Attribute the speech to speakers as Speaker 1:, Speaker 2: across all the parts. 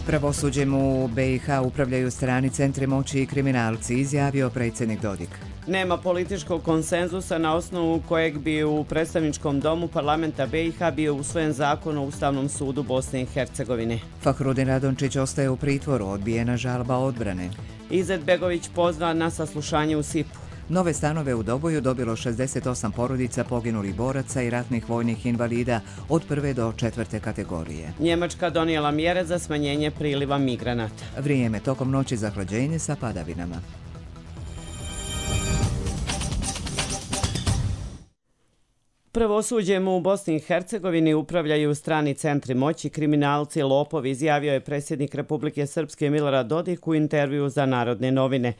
Speaker 1: Pravosuđem u BiH upravljaju strani centri moći i kriminalci, izjavio predsjednik Dodik.
Speaker 2: Nema političkog konsenzusa na osnovu kojeg bi u predstavničkom domu parlamenta BiH bio usvojen zakon o Ustavnom sudu Bosne i Hercegovine.
Speaker 1: Fahrudin Radončić ostaje u pritvoru, odbijena žalba odbrane.
Speaker 2: Izetbegović pozvan na saslušanje u SIP-u.
Speaker 1: Nove stanove u Doboju dobilo 68 porodica poginulih boraca i ratnih vojnih invalida od 1. do 4. kategorije.
Speaker 2: Njemačka donijela mjere za smanjenje priliva migranata.
Speaker 1: Vrijeme tokom noći zahlađenje sa padavinama.
Speaker 2: Pravosuđem u Bosni i Hercegovini upravljaju strani centri moći, kriminalci, lopovi, izjavio je predsjednik Republike Srpske Milorad Dodik u intervju za Narodne novine.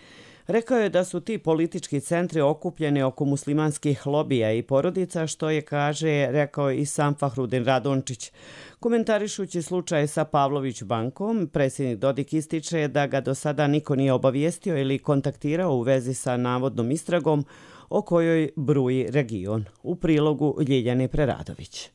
Speaker 2: Rekao je da su ti politički centri okupljeni oko muslimanskih lobija i porodica, što je, kaže, rekao i sam Fahrudin Radončić. Komentarišući slučaj sa Pavlović bankom, predsjednik Dodik ističe da ga do sada niko nije obavijestio ili kontaktirao u vezi sa navodnom istragom o kojoj bruji region. U prilogu Ljiljane Preradović.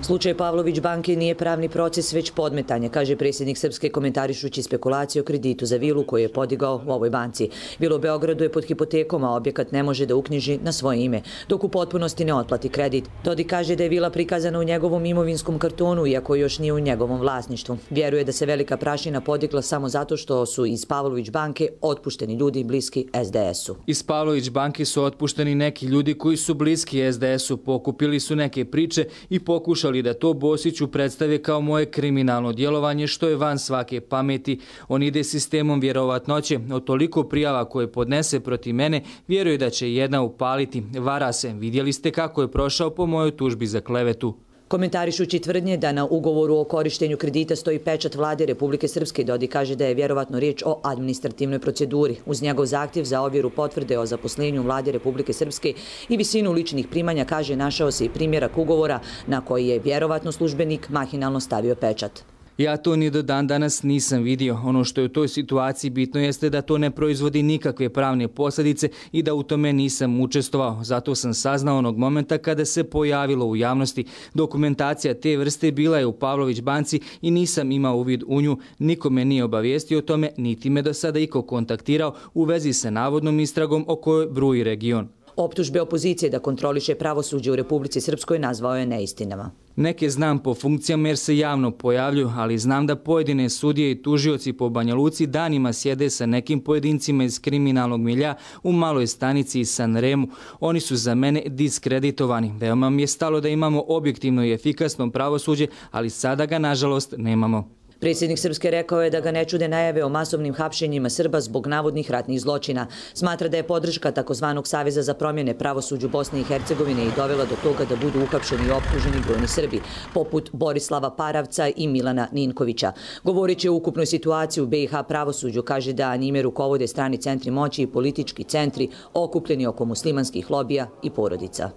Speaker 3: Slučaj Pavlović banke nije pravni proces, već podmetanje, kaže predsjednik Srpske komentarišući spekulacije o kreditu za vilu koju je podigao u ovoj banci. Vila u Beogradu je pod hipotekom, a objekat ne može da uknjiži na svoje ime, dok u potpunosti ne otplati kredit. Dodik kaže da je vila prikazana u njegovom imovinskom kartonu, iako još nije u njegovom vlasništvu. Vjeruje da se velika prašina podigla samo zato što su iz Pavlović banke otpušteni ljudi bliski SDS-u.
Speaker 4: Iz Pavlović banke su otpušteni neki ljudi koji su bliski SDS-u, pokupili su neke priče i pokušali da to Bosiću predstave kao moje kriminalno djelovanje, što je van svake pameti. On ide sistemom vjerovatnoće. Od toliko prijava koje podnese protiv mene, vjeruje da će jedna upaliti. Vara se. Vidjeli ste kako je prošao po mojoj tužbi za klevetu.
Speaker 3: Komentarišući tvrdnje da na ugovoru o korištenju kredita stoji pečat vlade Republike Srpske, Dodik kaže da je vjerovatno riječ o administrativnoj proceduri. Uz njegov zahtjev za ovjeru potvrde o zaposlenju vlade Republike Srpske i visinu ličnih primanja, kaže, našao se i primjerak ugovora na koji je vjerovatno službenik mahinalno stavio pečat.
Speaker 4: Ja to ni do dan danas nisam vidio. Ono što je u toj situaciji bitno jeste da to ne proizvodi nikakve pravne posljedice i da u tome nisam učestvovao. Zato sam saznao onog momenta kada se pojavilo u javnosti. Dokumentacija te vrste bila je u Pavlović banci i nisam imao uvid u nju. Niko me nije obavijestio o tome, niti me do sada iko kontaktirao u vezi sa navodnom istragom o kojoj bruji region.
Speaker 3: Optužbe opozicije da kontroliše pravosuđe u Republici Srpskoj nazvao je neistinama.
Speaker 4: Neke znam po funkcijama jer se javno pojavljuju, ali znam da pojedine sudije i tužioci po Banja Luci danima sjede sa nekim pojedincima iz kriminalnog milja u maloj stanici i Sanremu. Oni su za mene diskreditovani. Veoma mi je stalo da imamo objektivno i efikasno pravosuđe, ali sada ga nažalost nemamo.
Speaker 3: Predsjednik Srpske rekao je da ga ne čude najave o masovnim hapšenjima Srba zbog navodnih ratnih zločina. Smatra da je podrška takozvanog Saveza za promjene pravosuđu Bosne i Hercegovine i dovela do toga da budu uhapšeni i optuženi brojni Srbi, poput Borislava Paravca i Milana Ninkovića. Govoreći o ukupnoj situaciji u BiH pravosuđu, kaže da njime rukovode strani centri moći i politički centri okupljeni oko muslimanskih lobija i porodica.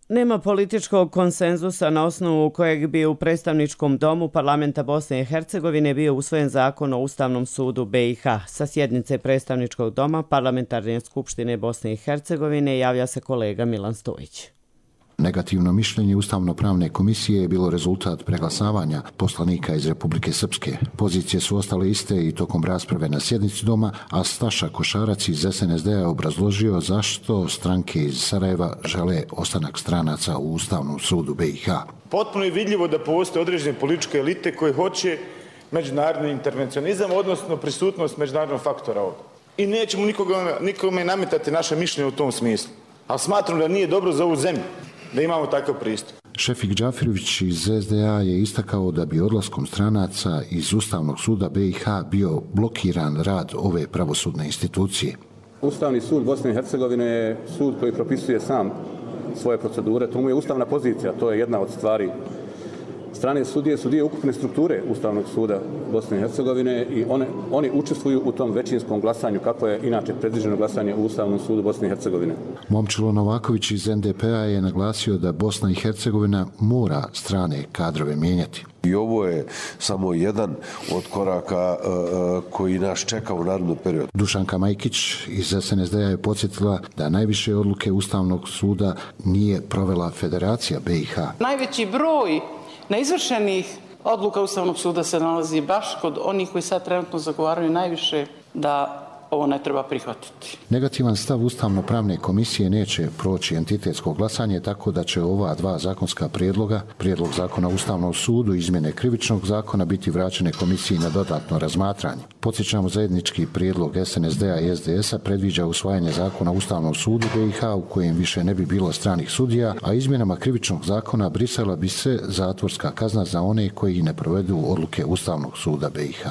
Speaker 2: Nema političkog konsenzusa na osnovu kojeg bi u predstavničkom domu parlamenta Bosne i Hercegovine bio usvojen zakon o Ustavnom sudu BiH. Sa sjednice predstavničkog doma Parlamentarne skupštine Bosne i Hercegovine javlja se kolega Milan Stojić.
Speaker 5: Negativno mišljenje Ustavno-pravne komisije je bilo rezultat preglasavanja poslanika iz Republike Srpske. Pozicije su ostale iste i tokom rasprave na sjednici doma, a Staša Košarac iz SNSD je obrazložio zašto stranke iz Sarajeva žele ostanak stranaca u Ustavnom sudu BiH.
Speaker 6: Potpuno je vidljivo da postoje određene političke elite koje hoće međunarodni intervencionizam, odnosno prisutnost međunarodnog faktora ovdje. I nećemo nikome nametati naše mišljenje u tom smislu. Ali smatram da nije dobro za ovu zemlju da imamo takav pristup.
Speaker 5: Šefik Džafirović iz SDA je istakao da bi odlaskom stranaca iz Ustavnog suda BiH bio blokiran rad ove pravosudne institucije.
Speaker 7: Ustavni sud Bosne i Hercegovine je sud koji propisuje sam svoje procedure. To mu je ustavna pozicija, to je jedna od stvari. Strane sudije su dio ukupne strukture Ustavnog suda Bosne i Hercegovine i oni učestvuju u tom većinskom glasanju, kako je inače predviđeno glasanje u Ustavnom sudu Bosne i Hercegovine.
Speaker 5: Momčilo Novaković iz NDP-a je naglasio da Bosna i Hercegovina mora strane kadrove mijenjati.
Speaker 8: I ovo je samo jedan od koraka koji nas čeka u narednom periodu.
Speaker 5: Dušanka Majkić iz SNSD-a je podsjetila da najviše odluke Ustavnog suda nije provela Federacija BiH.
Speaker 9: Najveći broj neizvršenih Odluka Ustavnog suda se nalazi baš kod onih koji sad trenutno zagovaraju najviše da ovo ne treba prihvatiti.
Speaker 5: Negativan stav Ustavno-pravne komisije neće proći entitetsko glasanje, tako da će ova dva zakonska prijedloga, prijedlog zakona o Ustavnom sudu i izmjene krivičnog zakona, biti vraćene komisiji na dodatno razmatranje. Podsjećamo, zajednički prijedlog SNSD-a i SDS-a predviđa usvajanje zakona o Ustavnom sudu BiH u kojem više ne bi bilo stranih sudija, a izmjenama krivičnog zakona brisala bi se zatvorska kazna za one koji ne provedu odluke Ustavnog suda BiH.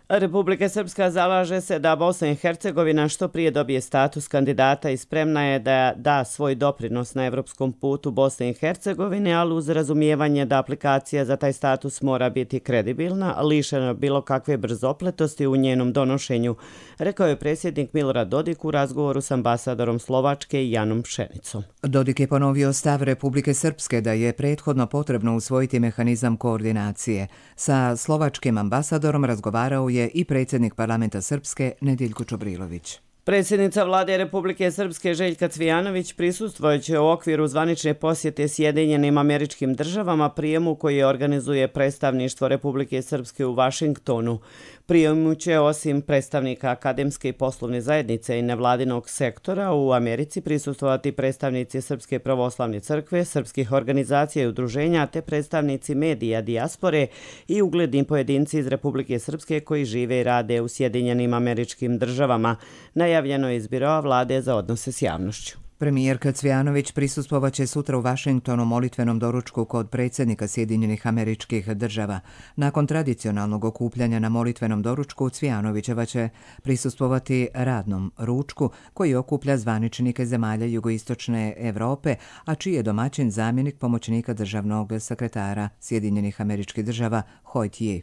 Speaker 2: Republika Srpska zalaže se da Bosna i Hercegovina što prije dobije status kandidata i spremna je da da svoj doprinos na evropskom putu Bosne i Hercegovine, ali uz razumijevanje da aplikacija za taj status mora biti kredibilna, lišena bilo kakve brzopletosti u njenom donošenju, rekao je predsjednik Milorad Dodik u razgovoru s ambasadorom Slovačke Janom Pšenicom.
Speaker 1: Dodik je ponovio stav Republike Srpske da je prethodno potrebno usvojiti mehanizam koordinacije. Sa slovačkim ambasadorom razgovarao je i predsjednik parlamenta Srpske Nediljko Čobrilović.
Speaker 2: Predsjednica vlade Republike Srpske Željka Cvijanović prisustvojeće u okviru zvanične posjete Sjedinjenim Američkim Državama prijemu koji organizuje predstavništvo Republike Srpske u Vašingtonu. Prijemu će osim predstavnika akademske i poslovne zajednice i nevladinog sektora u Americi prisustvovati predstavnici Srpske pravoslavne crkve, srpskih organizacija i udruženja te predstavnici medija dijaspore i ugledni pojedinci iz Republike Srpske koji žive i rade u Sjedinjenim Američkim Državama. Najavljeno je iz Biroa vlade za odnose s javnošću.
Speaker 1: Premijerka Cvijanović prisustvovaće sutra u Vašingtonu molitvenom doručku kod predsjednika Sjedinjenih Američkih Država. Nakon tradicionalnog okupljanja na molitvenom doručku, Cvijanovićeva će prisustvovati radnom ručku koji okuplja zvaničnike zemalja jugoistočne Evrope, a čiji je domaćin zamjenik pomoćnika državnog sekretara Sjedinjenih Američkih Država Hoyt Ye.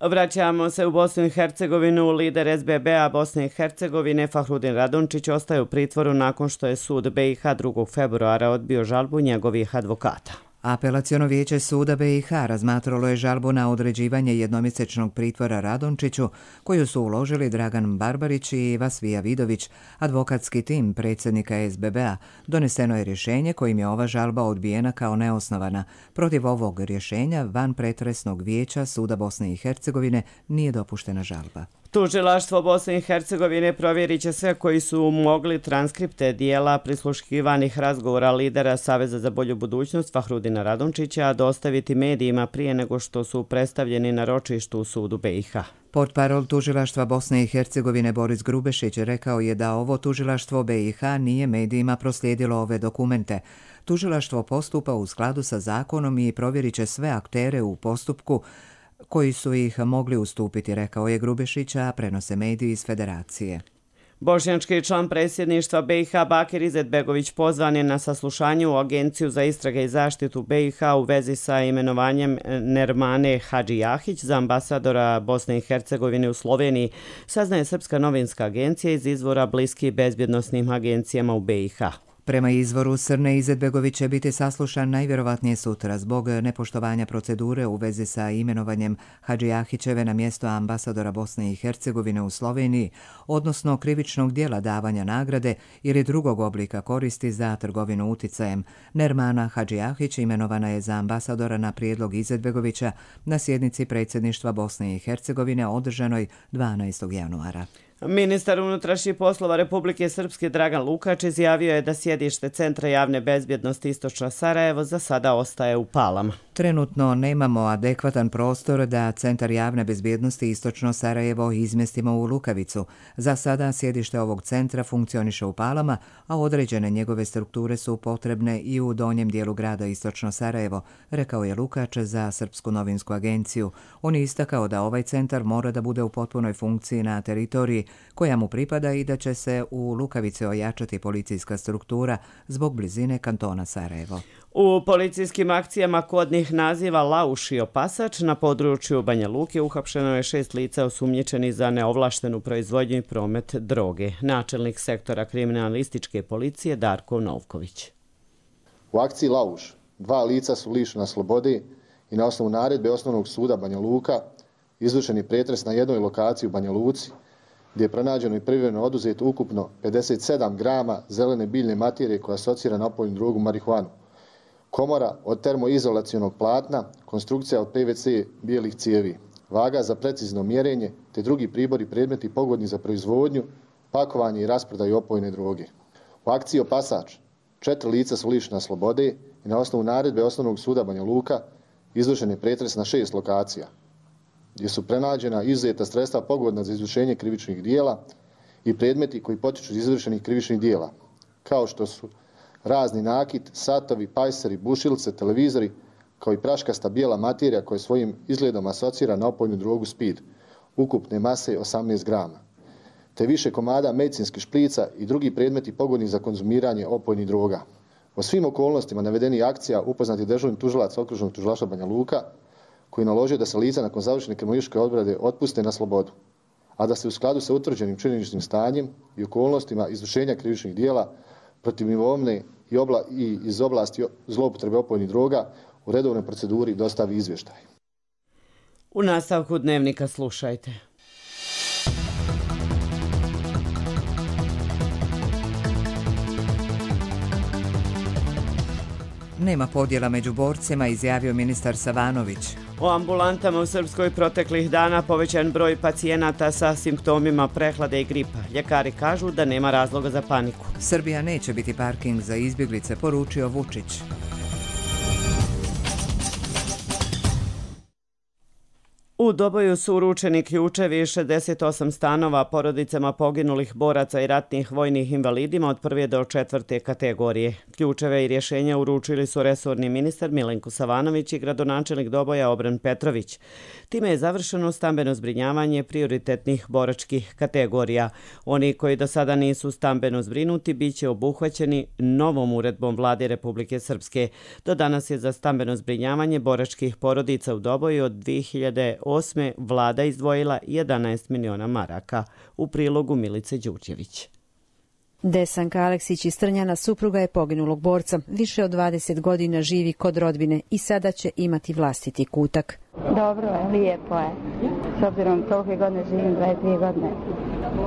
Speaker 2: Vraćamo se u Bosnu i Hercegovinu. Lider SBB-a Bosne i Hercegovine Fahrudin Radončić ostaje u pritvoru nakon što je sud BiH 2. februara odbio žalbu njegovih advokata.
Speaker 1: Apelaciono vijeće suda BiH razmatralo je žalbu na određivanje jednomjesečnog pritvora Radončiću, koju su uložili Dragan Barbarić i Vasvija Vidović, advokatski tim predsjednika SBB-a. Doneseno je rješenje kojim je ova žalba odbijena kao neosnovana. Protiv ovog rješenja van pretresnog vijeća suda Bosne i Hercegovine nije dopuštena žalba.
Speaker 2: Tužilaštvo Bosne i Hercegovine provjerit će sve koji su mogli transkripte dijela prisluškivanih razgovora lidera Saveza za bolju budućnost Fahrudina Radončića dostaviti medijima prije nego što su predstavljeni na ročištu u sudu BiH.
Speaker 1: Portparol tužilaštva Bosne i Hercegovine Boris Grubešić rekao je da ovo tužilaštvo BiH nije medijima proslijedilo ove dokumente. Tužilaštvo postupa u skladu sa zakonom i provjerit će sve aktere u postupku koji su ih mogli ustupiti, rekao je Grubešića, prenose mediji iz Federacije.
Speaker 2: Bošnjački član predsjedništva BiH Bakir Izetbegović pozvan je na saslušanje u Agenciju za istrage i zaštitu BiH u vezi sa imenovanjem Nermane Hadžijahić za ambasadora Bosne i Hercegovine u Sloveniji, saznaje Srpska novinska agencija iz izvora bliski bezbjednosnim agencijama u BiH.
Speaker 1: Prema izvoru Srne, Izetbegović će biti saslušan najvjerovatnije sutra zbog nepoštovanja procedure u vezi sa imenovanjem Hadžijahićeve na mjesto ambasadora Bosne i Hercegovine u Sloveniji, odnosno krivičnog dijela davanja nagrade ili drugog oblika koristi za trgovinu uticajem. Nermana Hadžijahić imenovana je za ambasadora na prijedlog Izetbegovića na sjednici predsjedništva Bosne i Hercegovine održanoj 12. januara.
Speaker 2: Ministar unutrašnjih poslova Republike Srpske Dragan Lukač izjavio je da sjedište Centra javne bezbjednosti Istočno Sarajevo za sada ostaje u Palama.
Speaker 1: Trenutno nemamo adekvatan prostor da Centar javne bezbjednosti Istočno Sarajevo izmjestimo u Lukavicu. Za sada sjedište ovog centra funkcioniše u Palama, a određene njegove strukture su potrebne i u donjem dijelu grada Istočno Sarajevo, rekao je Lukač za Srpsku novinsku agenciju. On je istakao da ovaj centar mora da bude u potpunoj funkciji na teritoriji koja mu pripada i da će se u Lukavici ojačati policijska struktura zbog blizine kantona Sarajevo.
Speaker 2: U policijskim akcijama kodnih naziva Lauš i Opasač na području Banja Luke uhapšeno je 6 lica osumnjičeni za neovlaštenu proizvodnju i promet droge. Načelnik sektora kriminalističke policije Darko Novković.
Speaker 10: U akciji Lauš 2 lica su lišena slobode i na osnovu naredbe Osnovnog suda Banja Luka izvršen je pretres na jednoj lokaciji u Banja Luci, gdje je pronađeno i privremeno oduzeto ukupno 57 grama zelene biljne materije koja asocira na opojnu drogu marihuanu. komora od termoizolacionog platna, konstrukcija od PVC bijelih cijevi, vaga za precizno mjerenje te drugi pribori i predmeti pogodni za proizvodnju, pakovanje i rasprodaju opojne droge. U akciji Opasač 4 lica su lišena slobode i na osnovu naredbe Osnovnog suda Banja Luka izvršen je pretres na 6 lokacija, gdje su pronađena izuzeta sredstva pogodna za izvršenje krivičnih dijela i predmeti koji potiču iz izvršenih krivičnih dijela, kao što su razni nakit, satovi, pajseri, bušilce, televizori, kao i praškasta bijela materija koja svojim izgledom asocira na opojnu drogu speed, ukupne mase 18 grama, te više komada medicinskih šprica i drugi predmeti pogodni za konzumiranje opojnih droga. O svim okolnostima navedenih akcija upoznat je dežurni tužilac Okružnog tužilaštva Banja Luka, koji naložio da se lica nakon završene kriminalističke obrade otpuste na slobodu, a da se u skladu sa utvrđenim činjeničnim stanjem i okolnostima izvršenja krivičnih dijela protiv imovine i iz oblasti zloupotrebe opojnih droga u redovnoj proceduri dostavi izvještaj.
Speaker 2: U nastavku dnevnika slušajte.
Speaker 1: Nema podjela među borcima, izjavio ministar Savanović.
Speaker 2: O ambulantama u Srpskoj proteklih dana povećan broj pacijenata sa simptomima prehlade i gripa. Ljekari kažu da nema razloga za paniku.
Speaker 1: Srbija neće biti parking za izbjeglice, poručio Vučić.
Speaker 2: U Doboju su uručeni ključevi 68 stanova porodicama poginulih boraca i ratnih vojnih invalidima od 1. do 4. kategorije. Ključeve i rješenja uručili su resorni ministar Milenko Savanović i gradonačelnik Doboja Obren Petrović. Time je završeno stambeno zbrinjavanje prioritetnih boračkih kategorija. Oni koji do sada nisu stambeno zbrinuti bit će obuhvaćeni novom uredbom Vlade Republike Srpske. Do danas je za stambeno zbrinjavanje boračkih porodica u Doboju od 2008. Vlada izdvojila 11 miliona maraka. U prilogu Milice Đurđević.
Speaker 11: Desanka Aleksić iz Trnjana supruga je poginulog borca. Više od 20 godina živi kod rodbine i sada će imati vlastiti kutak.
Speaker 12: Dobro je, lijepo je. S obzirom tolike godine živim, 22 godine,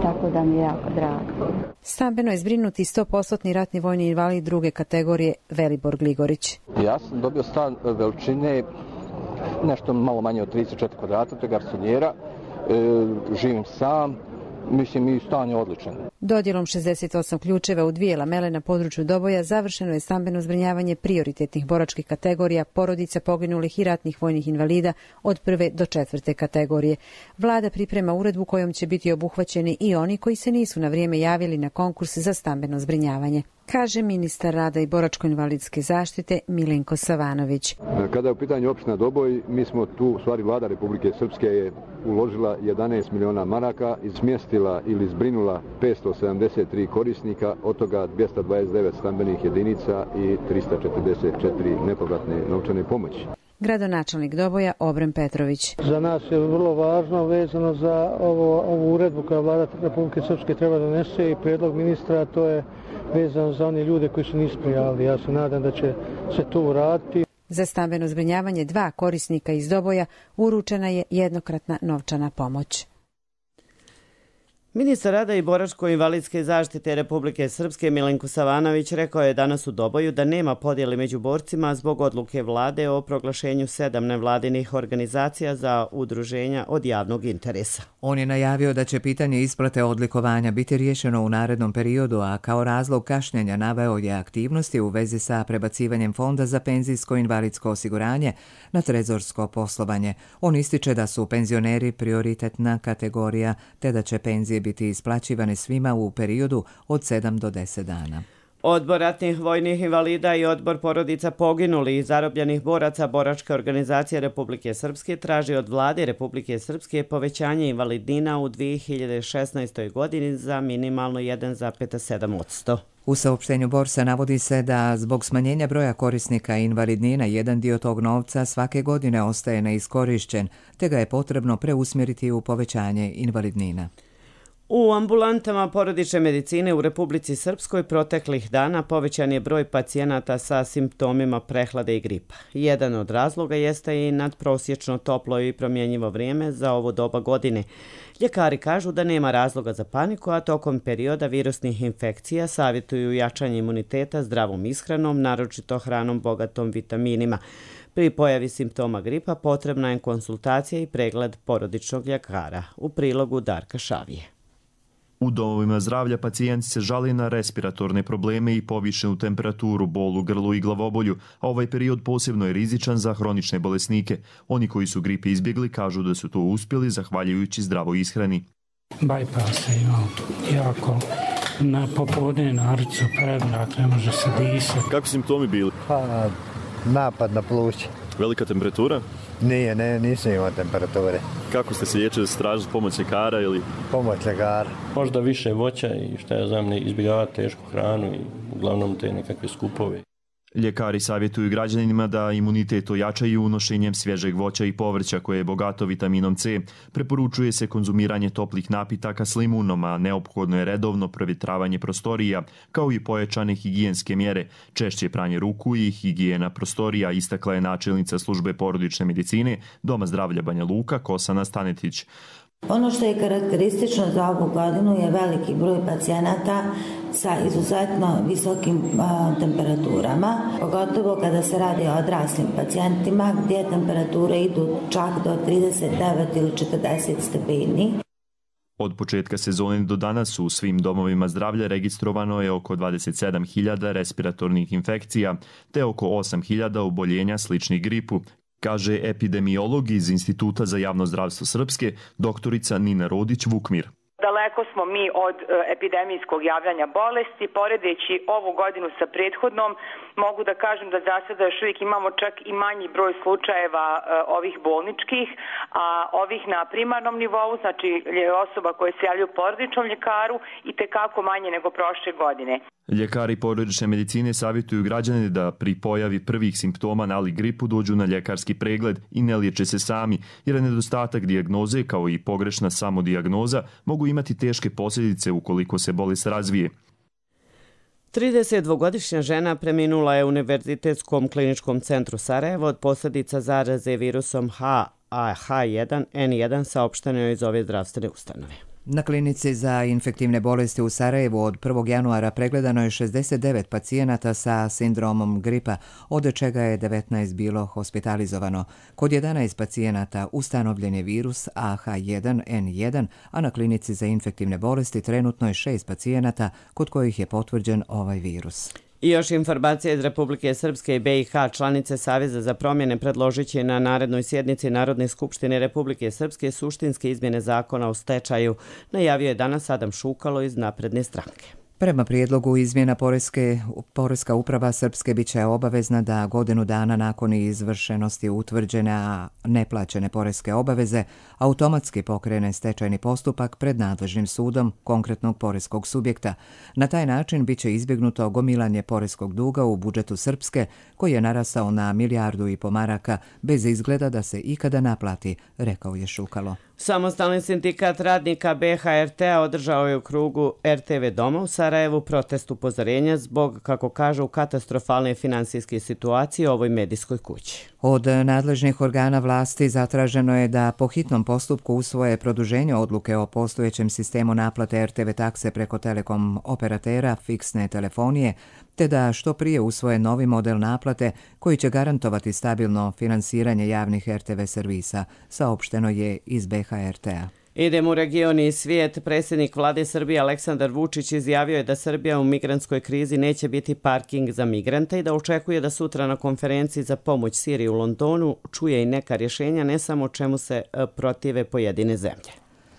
Speaker 12: tako da mi je jako drago.
Speaker 11: Stambeno je zbrinuti 100% ratni vojni invalid druge kategorije Velibor Gligorić.
Speaker 13: Ja sam dobio stan veličine nešto malo manje od 34 kvadrata, to je garsonjera, živim sam, mislim i stan je odličan.
Speaker 11: Dodjelom 68 ključeva u 2 lamele na području Doboja završeno je stambeno zbrinjavanje prioritetnih boračkih kategorija porodica poginulih i ratnih vojnih invalida od 1. do 4. kategorije. Vlada priprema uredbu kojom će biti obuhvaćeni i oni koji se nisu na vrijeme javili na konkurs za stambeno zbrinjavanje, kaže ministar rada i boračko-invalidske zaštite Milenko Savanović.
Speaker 14: Kada je u pitanju opština Doboj, mi smo tu, u stvari Vlada Republike Srpske je uložila 11 miliona maraka i smjestila ili zbrinula 573 korisnika, od toga 229 stambenih jedinica i 344 nepovratne novčane pomoći.
Speaker 11: Gradonačelnik Doboja Obren Petrović.
Speaker 15: Za nas je vrlo važno vezano za ovu uredbu koja Vlada Republike Srpske treba donese i prijedlog ministra, to je vezano za one ljude koji se nisu prijavili. Ja se nadam da će se to uraditi.
Speaker 11: Za stambeno zbrinjavanje 2 korisnika iz Doboja uručena je jednokratna novčana pomoć.
Speaker 2: Ministar rada i boračko-invalidske zaštite Republike Srpske Milenko Savanović rekao je danas u Doboju da nema podjele među borcima zbog odluke vlade o proglašenju 7 nevladinih organizacija za udruženja od javnog interesa.
Speaker 1: On je najavio da će pitanje isplate odlikovanja biti riješeno u narednom periodu, a kao razlog kašnjenja naveo je aktivnosti u vezi sa prebacivanjem Fonda za penzijsko-invalidsko osiguranje na trezorsko poslovanje. On ističe da su penzioneri prioritetna kategorija te da će penzije biti isplaćivane svima u periodu od 7 do 10 dana.
Speaker 2: Odbor ratnih vojnih invalida i odbor porodica poginulih i zarobljenih boraca Boračke organizacije Republike Srpske traži od Vlade Republike Srpske povećanje invalidnina u 2016. godini za minimalno 1,7%.
Speaker 1: U saopštenju Borsa navodi se da zbog smanjenja broja korisnika invalidnina jedan dio tog novca svake godine ostaje neiskorišćen, te ga je potrebno preusmjeriti u povećanje invalidnina.
Speaker 2: U ambulantama porodične medicine u Republici Srpskoj proteklih dana povećan je broj pacijenata sa simptomima prehlade i gripa. Jedan od razloga jeste i nadprosječno toplo i promjenjivo vrijeme za ovo doba godine. Ljekari kažu da nema razloga za paniku, a tokom perioda virusnih infekcija savjetuju jačanje imuniteta zdravom ishranom, naročito hranom bogatom vitaminima. Pri pojavi simptoma gripa potrebna je konsultacija i pregled porodičnog ljekara. U prilogu Darka Šavije.
Speaker 16: U domovima zdravlja pacijenti se žale na respiratorne probleme i povišenu temperaturu, bol u grlu i glavobolju, a ovaj period posebno je rizičan za hronične bolesnike. Oni koji su gripe izbjegli kažu da su to uspjeli zahvaljujući zdravoj ishrani.
Speaker 17: Bypass imao jako na popodne narcu predak, ne može se disati.
Speaker 18: Kako simptomi bili?
Speaker 19: Pa napad na pluća.
Speaker 18: Velika temperatura?
Speaker 19: Nisam imao temperature.
Speaker 18: Kako ste se liječili, tražili pomoć ljekara ili?
Speaker 19: Pomoć ljekara.
Speaker 20: Možda više voća i šta ja znam, ne izbjegavati tešku hranu i uglavnom te nekakve skupove.
Speaker 16: Ljekari savjetuju građanima da imunitet ojačaju unošenjem svježeg voća i povrća koje je bogato vitaminom C. Preporučuje se konzumiranje toplih napitaka s limunom, a neophodno je redovno provjetravanje prostorija, kao i pojačane higijenske mjere, češće pranje ruku i higijena prostorija, istakla je načelnica službe porodične medicine Doma zdravlja Banja Luka Kosana Stanetić.
Speaker 21: Ono što je karakteristično za ovu godinu je veliki broj pacijenata sa izuzetno visokim temperaturama, pogotovo kada se radi o odraslim pacijentima gdje temperature idu čak do 39 ili 40 stepeni.
Speaker 16: Od početka sezone do danas u svim domovima zdravlja registrovano je oko 27.000 respiratornih infekcija te oko 8.000 oboljenja sličnih gripu, kaže epidemiolog iz Instituta za javno zdravstvo Srpske, doktorica Nina Rodić-Vukmir.
Speaker 22: Daleko smo mi od epidemijskog javljanja bolesti. Poredeći ovu godinu sa prethodnom, mogu da kažem da za sada još uvijek imamo čak i manji broj slučajeva ovih bolničkih, a ovih na primarnom nivou, znači osoba koje se javljaju porodičnom ljekaru, i tekako manje nego prošle godine.
Speaker 16: Ljekari porodične medicine savjetuju građane da pri pojavi prvih simptoma nalik gripu dođu na ljekarski pregled i ne liječe se sami, jer nedostatak dijagnoze kao i pogrešna samodijagnoza mogu imati teške posljedice ukoliko se bolest razvije.
Speaker 2: 32-godišnja žena preminula je u Univerzitetskom kliničkom centru Sarajevo od posljedica zaraze virusom H1N1, saopšteno je iz ove zdravstvene ustanove.
Speaker 1: Na klinici za infektivne bolesti u Sarajevu od 1. januara pregledano je 69 pacijenata sa sindromom gripa, od čega je 19 bilo hospitalizovano. Kod 11 pacijenata ustanovljen je virus H1N1, a na klinici za infektivne bolesti trenutno je 6 pacijenata kod kojih je potvrđen ovaj virus.
Speaker 2: I još informacije iz Republike Srpske i BiH, članice Saveza za promjene predložit će na narednoj sjednici Narodne skupštine Republike Srpske suštinske izmjene zakona o stečaju, najavio je danas Adam Šukalo iz Napredne stranke.
Speaker 1: Prema prijedlogu izmjena Poreska uprava Srpske bit će obavezna da godinu dana nakon izvršenosti utvrđene, a neplaćene poreske obaveze automatski pokrene stečajni postupak pred nadležnim sudom konkretnog poreskog subjekta. Na taj način bit će izbjegnuto gomilanje poreskog duga u budžetu Srpske, koji je narastao na 1,5 milijardu maraka bez izgleda da se ikada naplati, rekao je Šukalo.
Speaker 2: Samostalni sindikat radnika BHRT-a održao je u krugu RTV Doma u Sarajevu protest upozorenja zbog, kako kažu, katastrofalne finansijske situacije u ovoj medijskoj kući.
Speaker 1: Od nadležnih organa vlasti zatraženo je da po hitnom postupku usvoje produženje odluke o postojećem sistemu naplate RTV takse preko telekom operatera fiksne telefonije, te da što prije usvoje novi model naplate koji će garantovati stabilno finansiranje javnih RTV servisa, saopšteno je iz BHRT-a.
Speaker 2: Idemo u region i svijet. Predsjednik vlade Srbije Aleksandar Vučić izjavio je da Srbija u migrantskoj krizi neće biti parking za migrante i da očekuje da sutra na konferenciji za pomoć Siriji u Londonu čuje i neka rješenja, ne samo čemu se protive pojedine zemlje.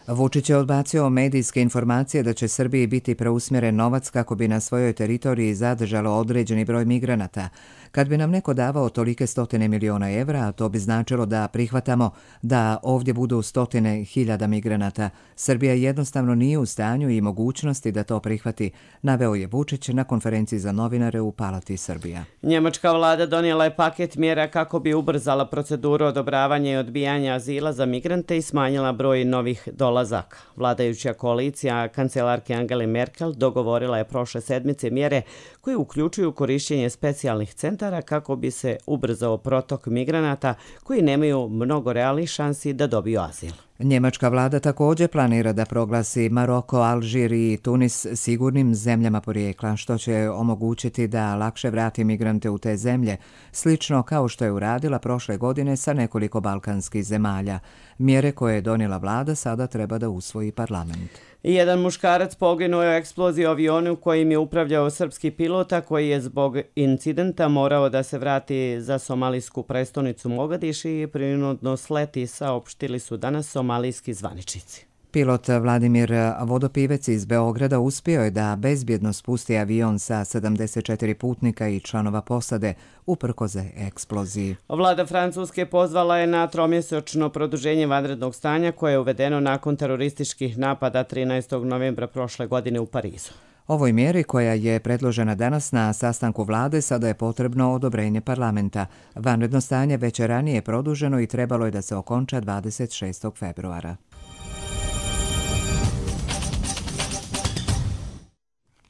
Speaker 1: Vučić je odbacio medijske informacije da će Srbiji biti preusmjeren novac kako bi na svojoj teritoriji zadržalo određeni broj migranata. Kad bi nam neko davao tolike stotine miliona evra, to bi značilo da prihvatamo da ovdje budu stotine hiljada migranata. Srbija jednostavno nije u stanju i mogućnosti da to prihvati, naveo je Vučić na konferenciji za novinare u Palati Srbija.
Speaker 2: Njemačka vlada donijela je paket mjera kako bi ubrzala proceduru odobravanja i odbijanja azila za migrante i smanjila broj novih dolazaka. Vladajuća koalicija kancelarke Angele Merkel dogovorila je prošle sedmice mjere koje uključuju korišćenje specijalnih centara kako bi se ubrzao protok migranata koji nemaju mnogo realnih šansi da dobiju azil.
Speaker 1: Njemačka vlada također planira da proglasi Maroko, Alžir i Tunis sigurnim zemljama porijekla, što će omogućiti da lakše vrati migrante u te zemlje, slično kao što je uradila prošle godine sa nekoliko balkanskih zemalja. Mjere koje je donijela vlada sada treba da usvoji parlament.
Speaker 2: Jedan muškarac poginuo je u eksploziji avionu kojim je upravljao srpski pilota koji je zbog incidenta morao da se vrati za somalijsku prestonicu Mogadiš i prinudno sleti, saopštili su danas somalijski zvaničnici.
Speaker 1: Pilot Vladimir Vodopivec iz Beograda uspio je da bezbjedno spusti avion sa 74 putnika i članova posade uprkos eksploziji.
Speaker 2: Vlada Francuske pozvala je na tromjesečno produženje vanrednog stanja koje je uvedeno nakon terorističkih napada 13. novembra prošle godine u Parizu.
Speaker 1: Ovoj mjeri koja je predložena danas na sastanku vlade sada je potrebno odobrenje parlamenta. Vanredno stanje već je ranije produženo i trebalo je da se okonča 26. februara.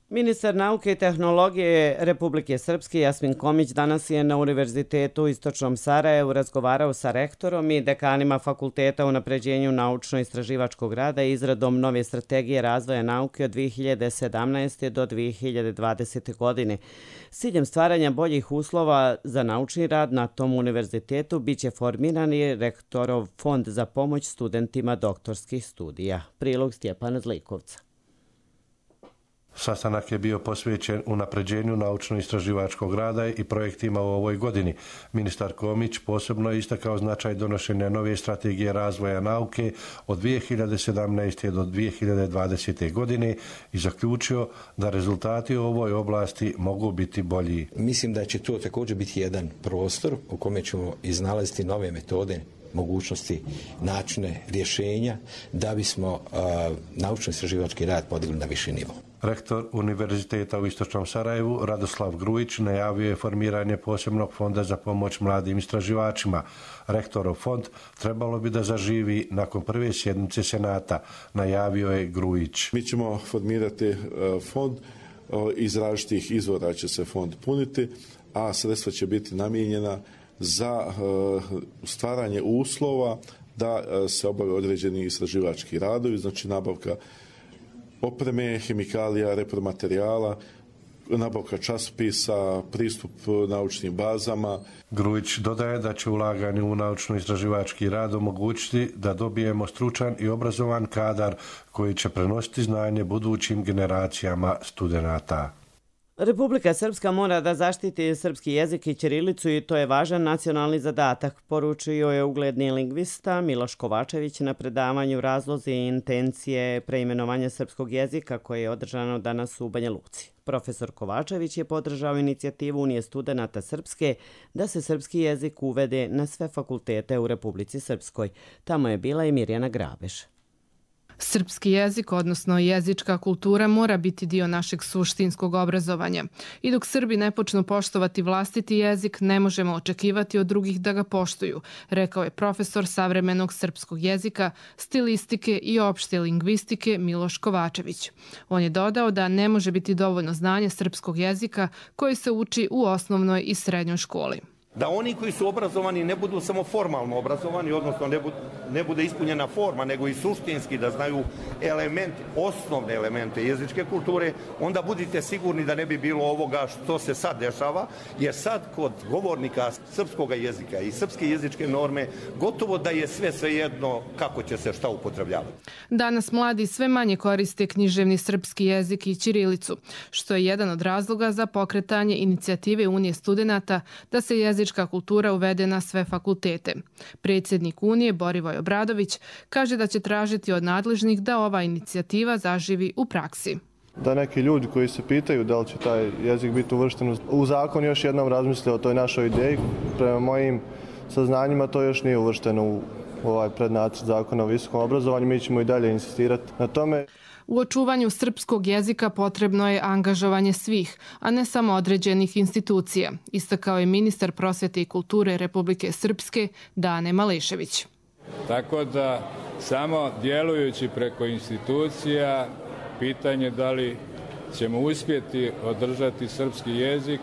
Speaker 2: Ministar nauke i tehnologije Republike Srpske Jasmin Komić danas je na Univerzitetu u Istočnom Sarajevu razgovarao sa rektorom i dekanima fakulteta o unapređenju naučno-istraživačkog rada i izradom nove strategije razvoja nauke od 2017. do 2020. godine. S ciljem stvaranja boljih uslova za naučni rad na tom univerzitetu biće formiran i rektorov fond za pomoć studentima doktorskih studija. Prilog Stjepana Zlikovca.
Speaker 3: Sastanak je bio posvećen unapređenju naučno-istraživačkog rada i projektima u ovoj godini. Ministar Komić posebno je istakao značaj donošenja nove strategije razvoja nauke od 2017. do 2020. godine i zaključio da rezultati u ovoj oblasti mogu biti bolji.
Speaker 4: Mislim da će to također biti jedan prostor u kome ćemo iznalaziti nove metode, mogućnosti, načine, rješenja da bismo naučno-istraživački rad podigli na viši nivo.
Speaker 3: Rektor Univerziteta u Istočnom Sarajevu Radoslav Grujić najavio je formiranje posebnog fonda za pomoć mladim istraživačima. Rektorov fond trebalo bi da zaživi nakon prve sjednice Senata, najavio je Grujić.
Speaker 23: Mi ćemo formirati fond, iz različitih izvora će se fond puniti, a sredstva će biti namijenjena za stvaranje uslova da se obave određeni istraživački radovi, znači nabavka opreme, hemikalija, repromaterijala, nabavka časopisa, pristup naučnim bazama.
Speaker 3: Grujić dodaje da će ulaganje u naučno-istraživački rad omogućiti da dobijemo stručan i obrazovan kadar koji će prenositi znanje budućim generacijama studenata.
Speaker 2: Republika Srpska mora da zaštiti srpski jezik i ćirilicu i to je važan nacionalni zadatak, poručio je ugledni lingvista Miloš Kovačević na predavanju Razlozi i intencije preimenovanja srpskog jezika koje je održano danas u Banja Luci. Profesor Kovačević je podržao inicijativu Unije studenata Srpske da se srpski jezik uvede na sve fakultete u Republici Srpskoj. Tamo je bila i Mirjana Grabeš.
Speaker 24: Srpski jezik, odnosno jezička kultura, mora biti dio našeg suštinskog obrazovanja. I dok Srbi ne počnu poštovati vlastiti jezik, ne možemo očekivati od drugih da ga poštuju, rekao je profesor savremenog srpskog jezika, stilistike i opšte lingvistike Miloš Kovačević. On je dodao da ne može biti dovoljno znanje srpskog jezika koji se uči u osnovnoj i srednjoj školi.
Speaker 25: Da oni koji su obrazovani ne budu samo formalno obrazovani, odnosno ne bude ispunjena forma, nego i suštinski da znaju osnovne elemente jezičke kulture, onda budite sigurni da ne bi bilo ovoga što se sad dešava, jer sad kod govornika srpskog jezika i srpske jezičke norme gotovo da je sve svejedno kako će se šta upotrebljavati.
Speaker 24: Danas mladi sve manje koriste književni srpski jezik i ćirilicu, što je jedan od razloga za pokretanje inicijative Unije studenata da se jezička kultura uvede na sve fakultete. Predsjednik Unije Borivoj Obradović kaže da će tražiti od nadležnih da ova inicijativa zaživi u praksi.
Speaker 5: Da neki ljudi koji se pitaju da li će taj jezik biti uvršten u zakon još jednom razmisle o toj našoj ideji. Prema mojim saznanjima to još nije uvršteno u ovaj prednacrt zakona o visokom obrazovanju. Mi ćemo i dalje insistirati na tome.
Speaker 24: U očuvanju srpskog jezika potrebno je angažovanje svih, a ne samo određenih institucija, istakao je ministar prosvete i kulture Republike Srpske Dane Malešević.
Speaker 6: Tako da samo djelujući preko institucija, pitanje da li ćemo uspjeti održati srpski jezik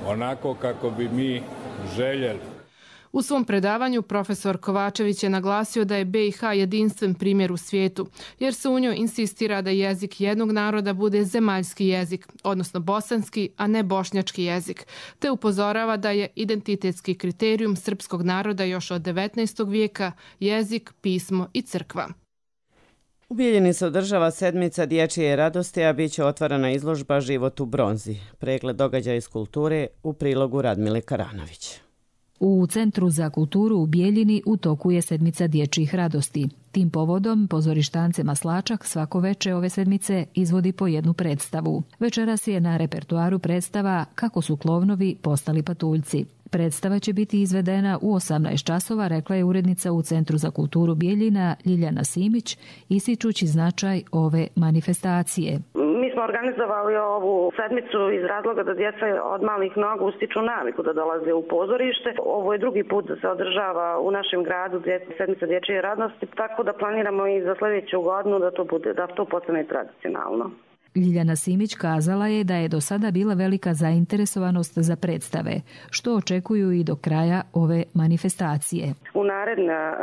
Speaker 6: onako kako bi mi željeli.
Speaker 24: U svom predavanju profesor Kovačević je naglasio da je BiH jedinstven primjer u svijetu, jer se u njoj insistira da jezik jednog naroda bude zemaljski jezik, odnosno bosanski, a ne bošnjački jezik, te upozorava da je identitetski kriterijum srpskog naroda još od 19. vijeka jezik, pismo i crkva.
Speaker 2: U Bijeljini se održava sedmica dječje radosti, a bit će otvorena izložba Život u bronzi. Pregled događaja iz kulture u prilogu Radmile Karanović.
Speaker 7: U Centru za kulturu u Bijeljini u toku je sedmica dječjih radosti. Tim povodom pozorištance Maslačak svako veče ove sedmice izvodi po jednu predstavu. Večeras je na repertuaru predstava Kako su klovnovi postali patuljci. Predstava će biti izvedena u 18 časova, rekla je urednica u Centru za kulturu Bijeljina Ljiljana Simić, ističući značaj ove manifestacije.
Speaker 8: Mi smo organizovali ovu sedmicu iz razloga da djeca od malih nogu stiču naviku da dolaze u pozorište. Ovo je drugi put da se održava u našem gradu sedmica dječje radosti, tako da planiramo i za sljedeću godinu da to postane tradicionalno.
Speaker 7: Ljiljana Simić kazala je da je do sada bila velika zainteresovanost za predstave, što očekuju i do kraja ove manifestacije.
Speaker 8: U naredna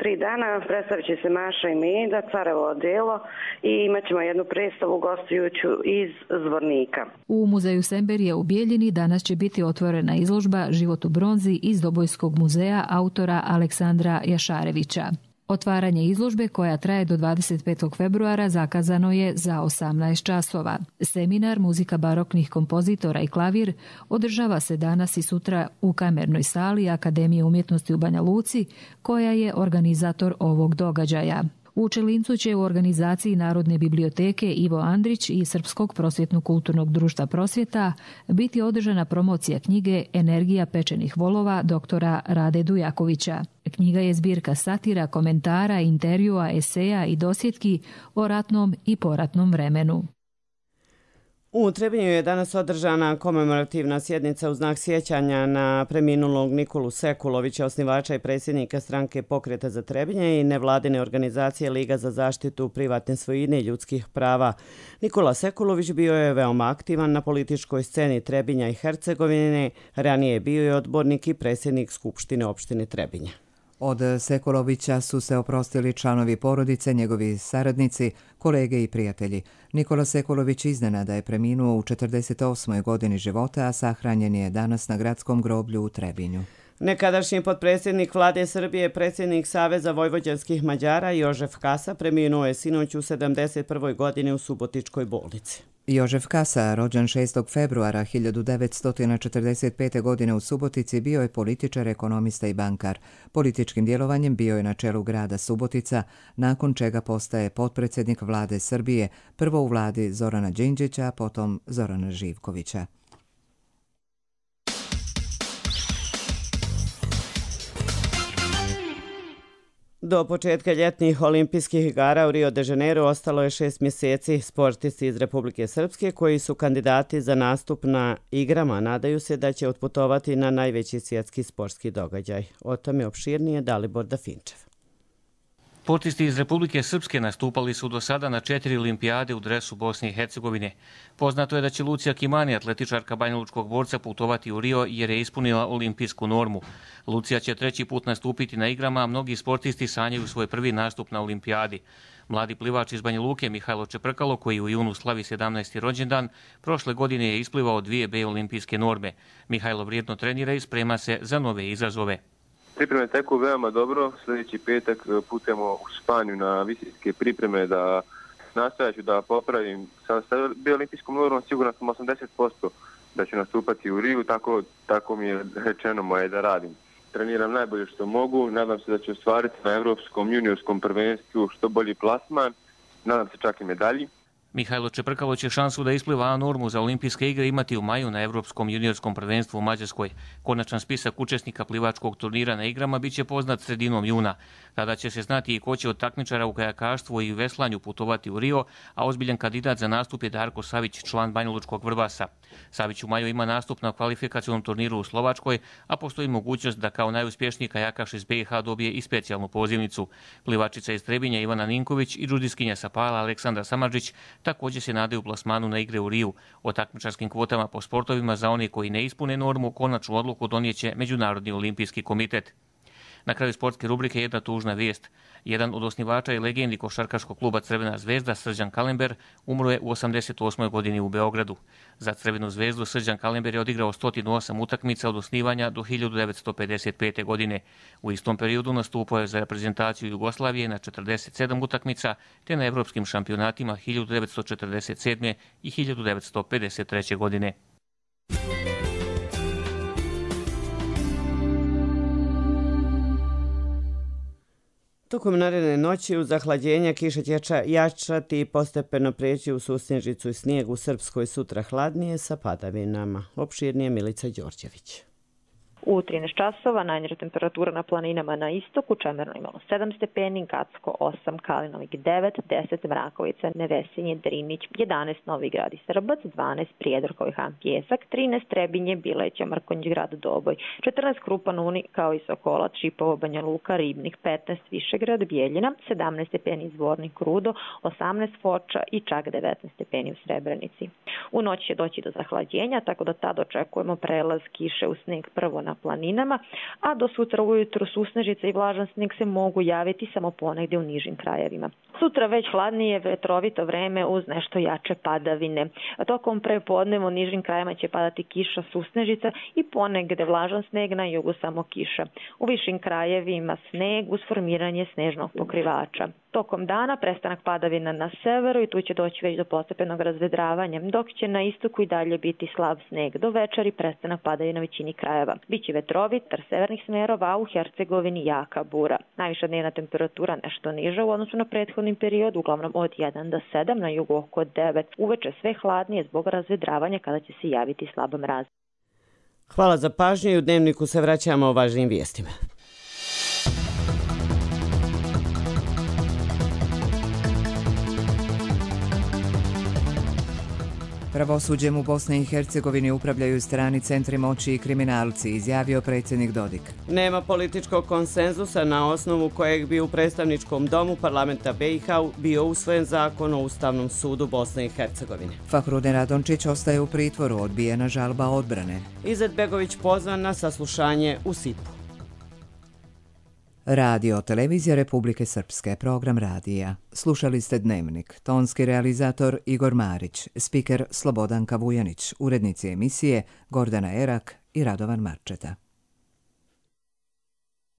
Speaker 8: 3 dana predstavit će se Maša i Meda, Carevo odelo i imat ćemo jednu predstavu gostujuću iz Zvornika.
Speaker 7: U muzeju Semberije u Bijeljini danas će biti otvorena izložba Život u bronzi iz Dobojskog muzeja autora Aleksandra Jašarevića. Otvaranje izložbe, koja traje do 25. februara, zakazano je za 18 časova. Seminar Muzika baroknih kompozitora i klavir održava se danas i sutra u Kamernoj sali Akademije umjetnosti u Banja Luci, koja je organizator ovog događaja. U Čelincu će u organizaciji Narodne biblioteke Ivo Andrić i Srpskog prosvjetno-kulturnog društva Prosvjeta biti održana promocija knjige Energija pečenih volova doktora Rade Dujakovića. Knjiga je zbirka satira, komentara, intervjua, eseja i dosjetki o ratnom i poratnom vremenu.
Speaker 2: U Trebinju je danas održana komemorativna sjednica u znak sjećanja na preminulog Nikolu Sekulovića, osnivača i predsjednika stranke Pokreta za Trebinje i nevladine organizacije Liga za zaštitu privatne svojine i ljudskih prava. Nikola Sekulović bio je veoma aktivan na političkoj sceni Trebinja i Hercegovine, ranije je bio i odbornik i predsjednik Skupštine opštine Trebinja.
Speaker 1: Od Sekulovića su se oprostili članovi porodice, njegovi saradnici, kolege i prijatelji. Nikola Sekulović iznenada je preminuo u 48. godini života, a sahranjen je danas na gradskom groblju u Trebinju.
Speaker 2: Nekadašnji potpredsjednik vlade Srbije, predsjednik Saveza vojvođanskih Mađara Jožef Kasa preminuo je sinoć u 71. godini u Subotičkoj bolnici.
Speaker 1: Jožef Kasa, rođen 6. februara 1945. godine u Subotici, bio je političar, ekonomista i bankar. Političkim djelovanjem bio je na čelu grada Subotica, nakon čega postaje potpredsjednik vlade Srbije, prvo u vladi Zorana Đinđića, a potom Zorana Živkovića.
Speaker 2: Do početka ljetnih olimpijskih igara u Rio de Janeiro ostalo je 6 mjeseci. Sportisti iz Republike Srpske koji su kandidati za nastup na igrama nadaju se da će otputovati na najveći svjetski sportski događaj. O tome opširnije Dalibor Dafinčev.
Speaker 9: Sportisti iz Republike Srpske nastupali su do sada na 4 olimpijade u dresu Bosne i Hercegovine. Poznato je da će Lucija Kimani, atletičarka banjalučkog borca, putovati u Rio jer je ispunila olimpijsku normu. Lucija će 3. put nastupiti na igrama, a mnogi sportisti sanjaju svoj prvi nastup na olimpijadi. Mladi plivač iz Banja Luke Mihajlo Čeprkalo, koji u junu slavi 17. rođendan, prošle godine je isplivao 2 B olimpijske norme. Mihajlo vrijedno trenira i sprema se za nove izazove.
Speaker 26: Pripreme teku veoma dobro. Sljedeći petak putujemo u Španiju na visinske pripreme da nastojaću da popravim. Sa olimpijskom normom sigurno sam 80% da ću nastupati u Riju, tako mi je rečeno moje da radim. Treniram najbolje što mogu, nadam se da ću ostvariti na Evropskom juniorskom prvenstvu što bolji plasman, nadam se čak i medalji.
Speaker 9: Mihajlo Čeprkalo će šansu da ispliva A normu za olimpijske igre imati u maju na Evropskom juniorskom prvenstvu u Mađarskoj. Konačan spisak učesnika plivačkog turnira na igrama biće poznat sredinom juna. Tada će se znati i ko će od takmičara u kajakaštvu i veslanju putovati u Rio, a ozbiljan kandidat za nastup je Darko Savić, član Banjalučkog Vrbasa. Savić u maju ima nastup na kvalifikacionom turniru u Slovačkoj, a postoji mogućnost da kao najuspješniji kajakaš iz BiH dobije i specijalnu pozivnicu. Plivačica iz Trebinja Ivana Ninković i džudiskinja sa Pala Aleksandra Samardžić također se nadaju plasmanu na igre u Riju. O takmičarskim kvotama po sportovima za one koji ne ispune normu konačnu odluku donijeće Međunarodni olimpijski komitet. Na kraju sportske rubrike jedna tužna vijest. Jedan od osnivača i legendi košarkaškog kluba Crvena zvezda, Srđan Kalember, umro je u 88. godini u Beogradu. Za Crvenu zvezdu Srđan Kalember je odigrao 108 utakmica od osnivanja do 1955. godine. U istom periodu nastupao je za reprezentaciju Jugoslavije na 47 utakmica, te na evropskim šampionatima 1947. i 1953. godine.
Speaker 2: Tokom naredne noći uz zahlađenja kiša će jačati i postepeno preći u susnježicu i snijeg, u Srpskoj sutra hladnije sa padavinama. Opširnije Milica Đorđević.
Speaker 10: U 13 časova najniža temperatura na planinama na istoku, Čemerno imalo 7 stepeni, Gacko 8, Kalinovik 9, 10 Mrakovica, Nevesinje, Drinić, 11 Novi Grad i Srbac, 12 Prijedor i Han Pjesak, 13 Trebinje, Bileća, Mrkonjić Grad, Doboj, 14 Krupan Uni kao i Sokolac, Šipovo, Banja Luka, Ribnik, 15 Višegrad, Bijeljina, 17 stepeni Zvornik, Rudo, 18 Foča i čak 19 stepeni u Srebrenici. U noć će doći do zahlađenja, tako da tad očekujemo prelaz kiše u sneg prvo na planinama, a do sutra ujutro susnežica i vlažan sneg se mogu javiti samo ponegdje u nižim krajevima. Sutra već hladnije vetrovito vreme uz nešto jače padavine. Tokom prepodneva u nižim krajevima će padati kiša, susnežica i ponegdje vlažan sneg, na jugu samo kiša. U višim krajevima sneg uz formiranje snežnog pokrivača. Tokom dana prestanak padavina na severu i tu će doći već do postepenog razvedravanja, dok će na istoku i dalje biti slab sneg. Do večeri prestanak padavina na većini krajeva. Biće vetrovit, severnih smerova, a u Hercegovini jaka bura. Najviša dnevna temperatura nešto niža u odnosu na prethodni period, uglavnom od 1 do 7, na jugu oko 9. Uveče sve hladnije zbog razvedravanja kada će se javiti slab mraz.
Speaker 2: Hvala za pažnju i u Dnevniku se vraćamo o važnim vijestima.
Speaker 1: Pravosuđem u Bosni i Hercegovini upravljaju strani centri moći i kriminalci, izjavio predsjednik Dodik.
Speaker 2: Nema političkog konsenzusa na osnovu kojeg bi u predstavničkom domu parlamenta BiH bio usvojen zakon o Ustavnom sudu Bosne i Hercegovine.
Speaker 1: Fahrudin Radončić ostaje u pritvoru, odbijena žalba odbrane.
Speaker 2: Izetbegović pozvan na saslušanje u Sipu.
Speaker 1: Radio Televizija Republike Srpske, program radija. Slušali ste Dnevnik, tonski realizator Igor Marić, spiker Slobodanka Vujanić, urednici emisije Gordana Erak i Radovan Marčeta.